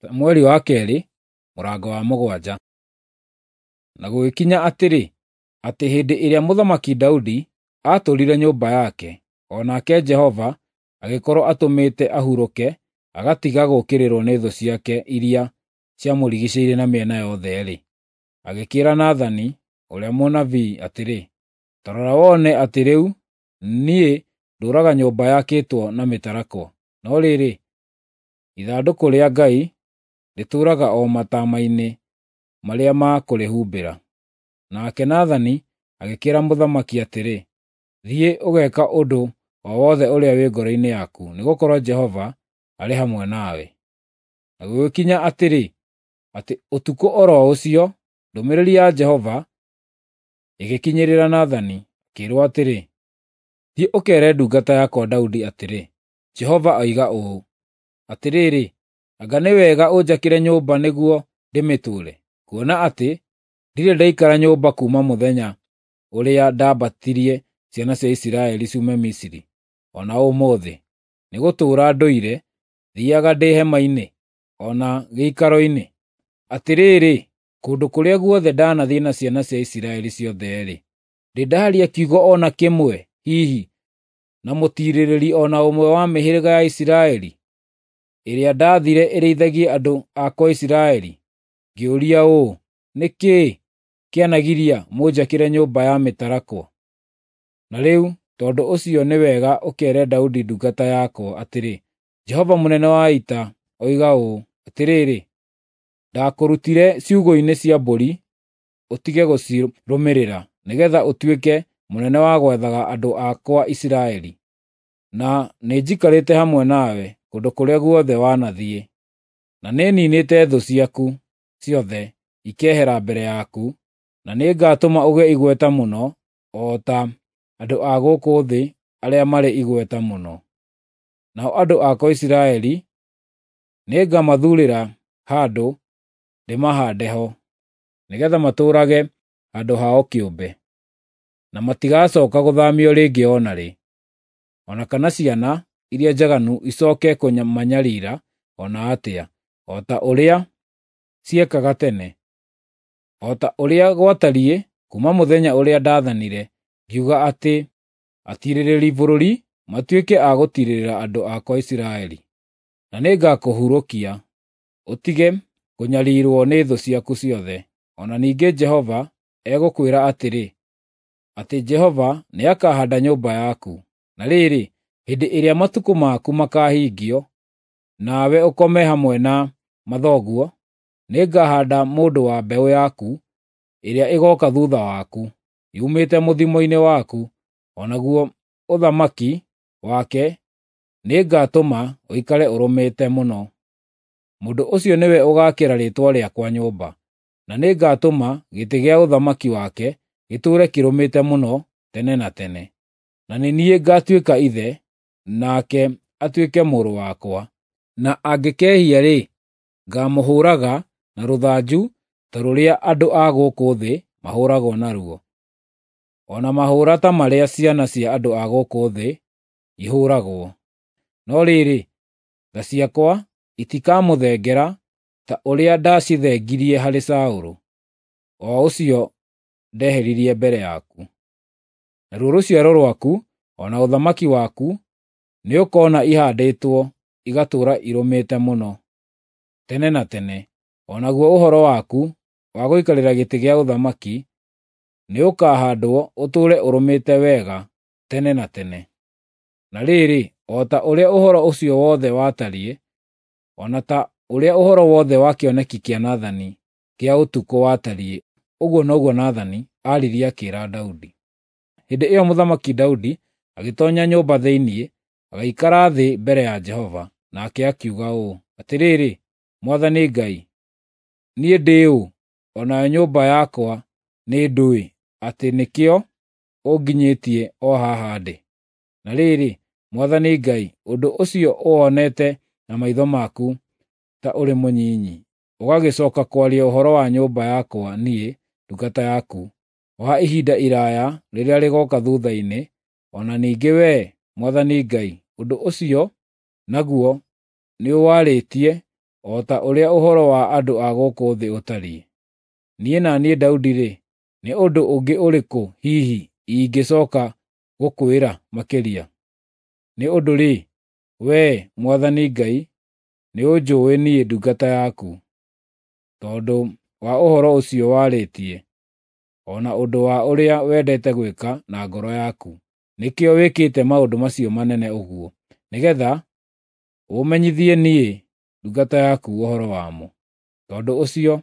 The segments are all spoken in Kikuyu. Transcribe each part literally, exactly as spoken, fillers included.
Samueli wa kerĩ mũrango wa mũgwanja. Na gũgĩkinya atĩrĩ, atĩ hĩndĩ ĩrĩa mũthamaki Daudi aatũũrire nyũmba yake, o nake Jehova agĩkorũo atũmĩte ahurũke agatiga gũũkĩrĩrũo nĩ thũ ciake iria ciamũrigicĩirie na mĩena yothe-rĩ, agĩkĩĩra Nathani ũrĩa mũnabii atĩrĩ, “Ta rora wone atĩ rĩu niĩ ndũũraga nyũmba yakĩtwo na mĩtarakwa, no rĩrĩ, ithandũkũ rĩa Ngai rĩtũũraga o mataama-inĩ marĩa ma kũrĩhumbĩra.” Nake Nathani agĩkĩĩra mũthamaki atĩrĩ, “Thiĩ ũgeeke ũndũ o wothe ũrĩa wĩ ngoro-inĩ yaku, nĩgũkorwo Jehova arĩ hamwe nawe.” Na gũgĩkinya atĩrĩ, atĩ ũtukũ o ro ũcio ndũmĩrĩri ya Jehova ĩgĩkinyĩrĩra Nathani, akĩĩrwo atĩrĩ, “Thiĩ ũkeere ndungata yakwa Daudi atĩrĩ, Jehova oiga ũũ, Atĩrĩrĩ, anga nĩ wega ũnjakĩre nyũmba nĩguo ndĩmĩtũũre, kuona atĩ ndirĩ ndaikara nyũmba kuuma mũthenya ũrĩa ndambatirie ciana cia Isiraeli ciume Misiri, o na ũmũthĩ, nĩgũtũũra ndũire thiiaga ndĩ hema-inĩ, o na gĩikaro-inĩ? Atĩrĩrĩ, kũndũ kũrĩa guothe ndanathiĩ na ciana cia Isiraeli ciothe-rĩ, ndĩ ndaaria kiugo o na kĩmwe hihi na mũtiirĩrĩri o na ũmwe wa mĩhĩrĩga ya Isiraeli, ĩrĩa ndaathire ĩrĩithagie andũ akwa Isiraeli, ngĩũria ũũ, ‘Nĩ kĩĩ kĩanagiria mũnjakĩre nyũmba ya mĩtarakwa?’ Na rĩu tondũ ũcio nĩ wega ũkeere Daudi ndungata yakwa atĩrĩ, Jehova mũnene wa ita oiga ũũ, Atĩrĩrĩ, ndakũrutire ciugũ-inĩ cia mbũri ũtige gũcirũmĩrĩra, nĩgeetha ũtuĩke mũnene wa gwathaga andũ akwa Isiraeli. Na nĩnjikarĩte hamwe nawe kũndũ kũrĩa guothe wanathiĩ, na nĩniinĩte thũ ciaku ciothe ikehera mbere yaku, na nĩngatũma ũgĩe igweta mũno o ta andũ a gũkũ thĩ arĩa marĩ igweta mũno. Nao andũ akwa Isiraeli nĩngamathuurĩra handũ ndĩmahaande ho, nĩgeetha matũũrage handũ hao kĩũmbe, na matigacooka gũthaamio rĩngĩ o na rĩ, o na kana ciana iria njaganu icooke kũmanyariira o na atĩa, o ta ũrĩa ciekaga tene, o ta ũrĩa gwatariĩ kuuma mũthenya ũrĩa ndaathanire ngiuga atĩ atiirĩrĩri bũrũri matuĩke a gũtiirĩrĩra andũ akwa Isiraeli. Na nĩngakũhurũkia ũtige kũnyariirwo nĩ thũ ciaku ciothe. O na ningĩ Jehova egũkwĩra atĩrĩ, atĩ Jehova nĩakahaanda nyũmba yaku. Na rĩrĩ, hĩndĩ ĩrĩa matukũ maku makaahingio, nawe ũkome hamwe na mathoguo, nĩngahaanda mũndũ wa mbeũ yaku ĩrĩa ĩgooka thuutha waku, yumĩte mũthimo-inĩ waku, o naguo ũthamaki wake nĩngatũma ũikare ũrũmĩte mũno. Mũndũ ũcio nĩwe ũgaakĩra Rĩĩtwa rĩakwa nyũmba, na nĩngatũma gĩtĩ gĩa ũthamaki wake gĩtũũre kĩrũmĩte mũno tene na tene. Na nĩ niĩ ngaatuĩka ithe, nake atuĩke mũrũ wakwa. Na angĩkehia-rĩ, ngaamũhũũraga na rũthanju ta rũrĩa andũ a gũkũ thĩ mahũũragwo naruo, o na mahũũra ta marĩa ciana cia andũ a gũkũ thĩ ihũũragwo. No rĩrĩ, tha ciakwa itikamũthengera ta ũrĩa ndacithengirie harĩ Saũlũ, o ũcio ndeheririe mbere yaku. Naruo rũciaro rwaku o na ũthamaki waku nĩũkoona ihaandĩtwo igatũũra irũmĩte mũno tene na tene, o naguo ũhoro waku wa gũikarĩra gĩtĩ gĩa ũthamaki nĩũkahaandwo ũtũũre ũrũmĩte wega tene na tene. Na rĩrĩ, o ta ũrĩa ũhoro ũcio wothe watariĩ, o na ta ũrĩa ũhoro wothe wa kĩoneki kĩa Nathani kĩa ũtukũ watariĩ, ũguo noguo Nathani aaririe akĩĩra Daudi. Hĩndĩ ĩyo Mũthamaki Daudi agĩtoonya nyũmba thĩinĩ, agĩikara thĩ mbere ya Jehova, nake akiuga ũũ, “Atĩrĩrĩ, Mwathani Ngai, niĩ ndĩ ũ, o nayo nyũmba yakwa nĩ ndũĩ atĩ nĩkĩo ũnginyĩtie o haha ndĩ? Na rĩrĩ, Mwathani Ngai, ũndũ ũcio ũwonete na maitho maku ta ũrĩ mũnyinyi, ũgagĩcooka kwaria ũhoro wa nyũmba yakwa niĩ, ndungata yaku, wa ihinda iraaya rĩrĩa rĩgooka thuutha-inĩ, o na ningĩ wee, Mwathani Ngai, ũndũ ũcio naguo nĩũwarĩtie o ta ũrĩa ũhoro wa andũ a gũkũ thĩ ũtariĩ. Niĩ na niĩ Daudi-rĩ, nĩ ũndũ ũngĩ ũrĩkũ hihi ingĩcooka gũkwĩra makĩria? Nĩ ũndũ-rĩ, wee, Mwathani Ngai, nĩũnjũũĩ niĩ ndungata yaku. Tondũ wa ũhoro ũcio warĩtie, o na ũndũ wa ũrĩa wendete gwĩka na ngoro yaku, nĩkĩo wĩkĩte maũndũ macio manene ũguo, nĩgeetha ũũmenyithie niĩ ndungata yaku ũhoro wamo. Tondũ ũcio,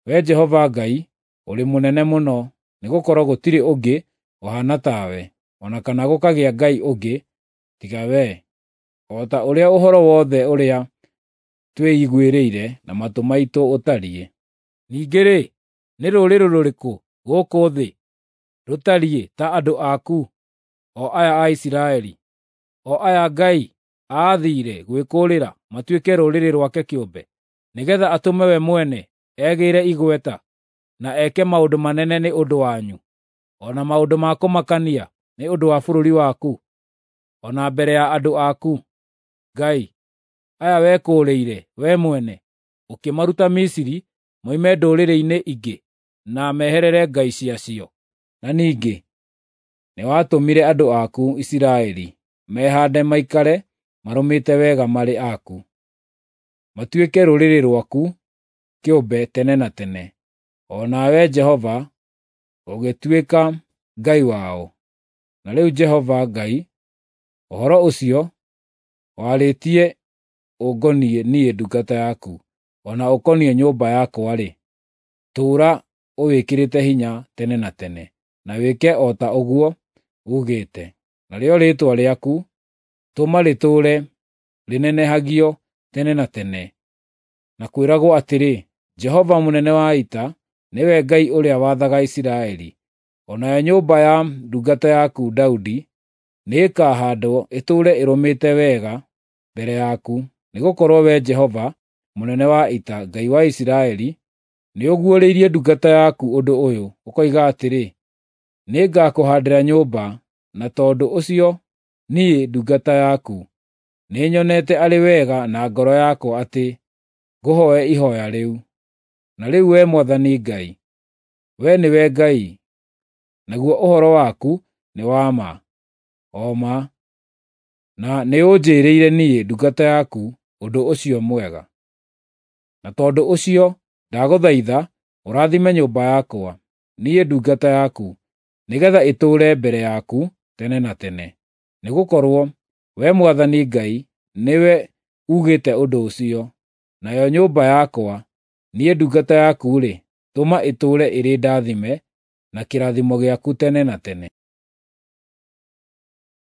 Wee Jehova Ngai, ũrĩ mũnene mũno, nĩgũkorwo gũtirĩ ũngĩ ũhaana tawe, o na kana gũkagĩa Ngai ũngĩ tiga wee, o ta ũrĩa ũhoro wothe ũrĩa twĩiguĩrĩire na matũ maitũ ũtariĩ. Ningĩ-rĩ, nĩ rũrĩrĩ rũrĩkũ gũkũ thĩ rũtariĩ ta andũ aku, o aya a Isiraeli, o aya Ngai aathire gwĩkũũrĩra matuĩke rũrĩrĩ rwake kĩũmbe, nĩgeetha atũme we mwene egĩĩre igweta na eke maũndũ manene nĩ ũndũ wanyu, o na maũndũ ma kũmakania nĩ ũndũ wa bũrũri waku, o na mbere ya andũ aku, Ngai, aya wekũũrĩire wee mwene, ũkĩmaruta Misiri moime ndũrĩrĩ-inĩ ingĩ na meherere ngai ciacio. Na ningĩ nĩwatũmire andũ aku Isiraeli mehaande maikare marũmĩte wega marĩ aku, matuĩke rũrĩrĩ rwaku kĩũmbe tene na tene, o nawe Jehova ũgĩtuĩka Ngai wao. Na rĩu Jehova Ngai, ũhoro ũcio warĩtie ũngoniĩ niĩ ndungata yaku, o na ũkoniĩ nyũmba yakwa-rĩ, tũũra ũwĩkĩrĩte hinya tene na tene, na wĩke o ta ũguo uugĩte. Narĩo rĩĩtwa rĩaku tũma rĩtũũre rĩnenehagio tene na tene, na kwĩragwo atĩrĩ, 'Jehova mũnene wa ita nĩwe Ngai ũrĩa wathaga Isiraeli.' O nayo nyũmba ya ndungata yaku Daudi nĩĩkahaandwo ĩtũũre ĩrũmĩte wega mbere yaku, nĩgũkorwo Wee Jehova mũnene wa ita, Ngai wa Isiraeli, nĩũguũrĩirie ndungata yaku ũndũ ũyũ, ũkoiga atĩrĩ, 'Nĩngakũhaandĩra nyũmba,' na tondũ ũcio niĩ ndungata yaku nĩnyonete arĩ wega na ngoro yakwa atĩ ngũhooe ihooya rĩu. Na rĩu Wee Mwathani Ngai, Wee nĩwe Ngai, naguo ũhoro waku nĩ wa ma, o ma, na nĩũnjĩĩrĩire niĩ ndungata yaku ũndũ ũcio mwega. Na tondũ ũcio ndagũthaitha ũrathime nyũmba yakwa, niĩ ndungata yaku, nĩgeetha ĩtũũre mbere yaku tene na tene. Nĩgũkorwo Wee Mwathani Ngai nĩwe ugĩte ũndũ ũcio, nayo nyũmba yakwa, niĩ ndungata yaku-rĩ, tũma ĩtũũre ĩrĩ ndathime na kĩrathimo gĩaku tene na tene.